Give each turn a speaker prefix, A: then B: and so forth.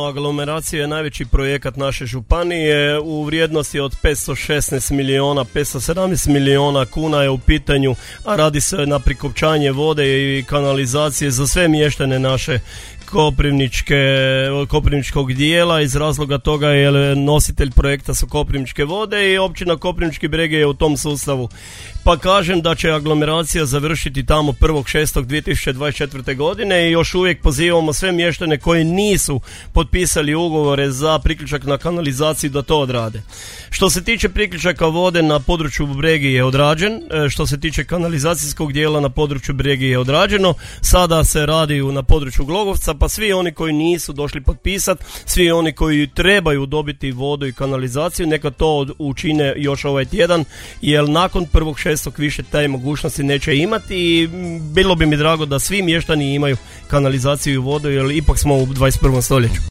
A: Aglomeracija je najveći projekat naše županije u vrijednosti od 517 milijuna kuna je u pitanju, a radi se na prikopčanje vode i kanalizacije za sve mještane naše koprivničkog dijela. Iz razloga toga je nositelj projekta su Koprivničke vode i općina Koprivnički Bregi je u tom sustavu. Pa kažem da će aglomeracija završiti tamo 1.6.2024. godine i još uvijek pozivamo sve mještane koji nisu potpisali ugovore za priključak na kanalizaciju da to odrade. Što se tiče priključaka vode na području Bregi je odrađen, što se tiče kanalizacijskog dijela na području Bregi je odrađeno, sada se radi na području Glogovca, pa svi oni koji nisu došli potpisati, svi oni koji trebaju dobiti vodu i kanalizaciju, neka to učine još ovaj tjedan, jer nakon 1.6. više taj mogućnosti neće imati i bilo bi mi drago da svi mještani imaju kanalizaciju i vodu, jer ipak smo u 21. stoljeću.